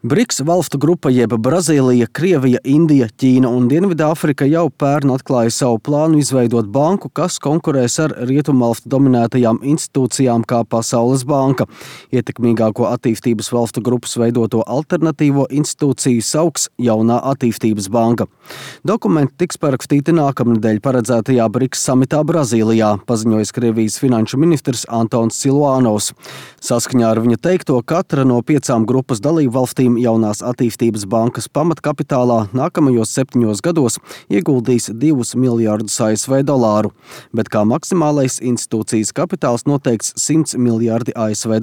BRICS valstu grupa jeb Brazīlija, Krievija, Indija, Ķīna un Dienvidāfrika jau pērn atklāja savu plānu izveidot banku, kas konkurēs ar rietumvalstu dominētajām institūcijām kā Pasaules banka. Ietekmīgāko attīstības valstu grupas veidoto alternatīvo institūciju sauks Jaunā attīstības banka. Dokumenti tiks parakstīti nākamnedēļ paredzētajā BRICS samitā Brazīlijā, paziņojis Krievijas finanšu ministrs Antons Siluanovs. Saskaņā ar viņa teikto, katra no 5 grupas dalību valstīm Jaunās attīstības bankas pamatkapitālā nākamajos 7 gados ieguldīs $2 miljardus ASV, bet kā maksimālais institūcijas kapitāls noteikts $100 miljardi ASV.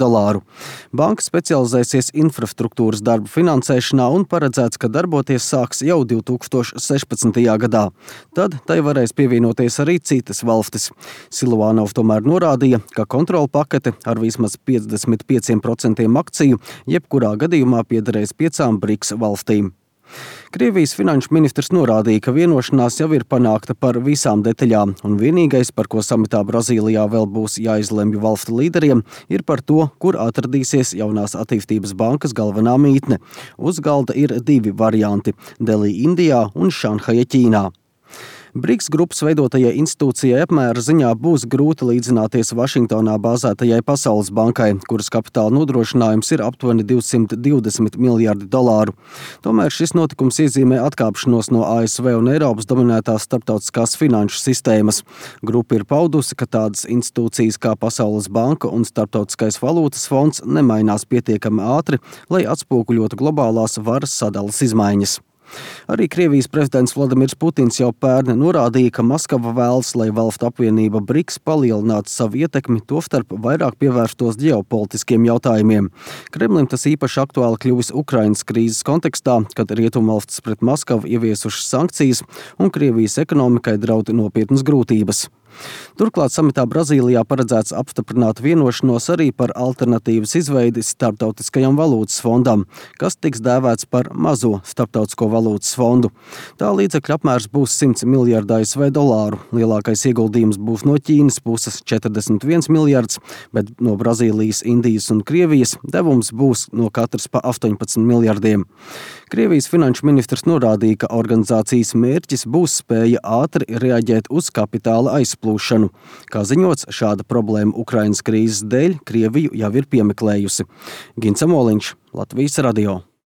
Banka specializēsies infrastruktūras darbu finansēšanā un paredzēts, ka darboties sāks jau 2016. gadā. Tad tai varēs pievienoties arī citas valstis. Siluanovs tomēr norādīja, ka kontrola pakete ar vismaz 55% akciju jebkurā gadījumā piederēs 5 BRICS valstīm. Krievijas finanšu ministrs norādīja, ka vienošanās jau ir panākta par visām detaļām, un vienīgais, par ko samitā Brazīlijā vēl būs jāizlemj valstu līderiem, ir par to, kur atradīsies Jaunās attīstības bankas galvenā mītne. Uz galda ir 2 varianti – Delī Indijā un Šanhaja Ķīnā. BRICS grupas veidotajai institūcijai apmēra ziņā būs grūti līdzināties Vašingtonā bāzētajai Pasaules bankai, kuras kapitāla nodrošinājums ir aptuveni $220 miljardi. Tomēr šis notikums iezīmē atkāpšanos no ASV un Eiropas dominētās starptautiskās finanšu sistēmas. Grupa ir paudusi, ka tādas institūcijas kā Pasaules banka un Starptautiskais valūtas fonds nemainās pietiekami ātri, lai atspoguļotu globālās varas sadalas izmaiņas. Arī Krievijas prezidents Vladimirs Putins jau pērn norādīja, ka Maskava vēlas, lai valstu apvienība BRICS palielinātu savu ietekmi, tostarp vairāk pievērstos ģeopolitiskiem jautājumiem. Kremlim tas īpaši aktuāli kļuvis Ukrainas krīzes kontekstā, kad rietumvalstis pret Maskavu ieviesušas sankcijas un Krievijas ekonomikai draud nopietnas grūtības. Turklāt samitā Brazīlijā paredzēts apstiprināt vienošanos arī par alternatīvas izveidi Starptautiskajam valūtas fondam, kas tiks dēvēts par mazo Starptautisko valūtas fondu. Tā līdzekļu apmērs būs $100 miljardi ASV. Lielākais ieguldījums būs no Ķīnas puses 41 miljards, bet no Brazīlijas, Indijas un Krievijas devums būs no katras pa 18 miljardiem. Krievijas finanšu ministrs norādīja, ka organizācijas mērķis būs spēja ātri reaģēt uz kapitāla aizplūšanu. Kā ziņots, šāda problēma Ukrainas krīzes dēļ Krieviju jau ir piemeklējusi. Gins Amoliņš, Latvijas radio.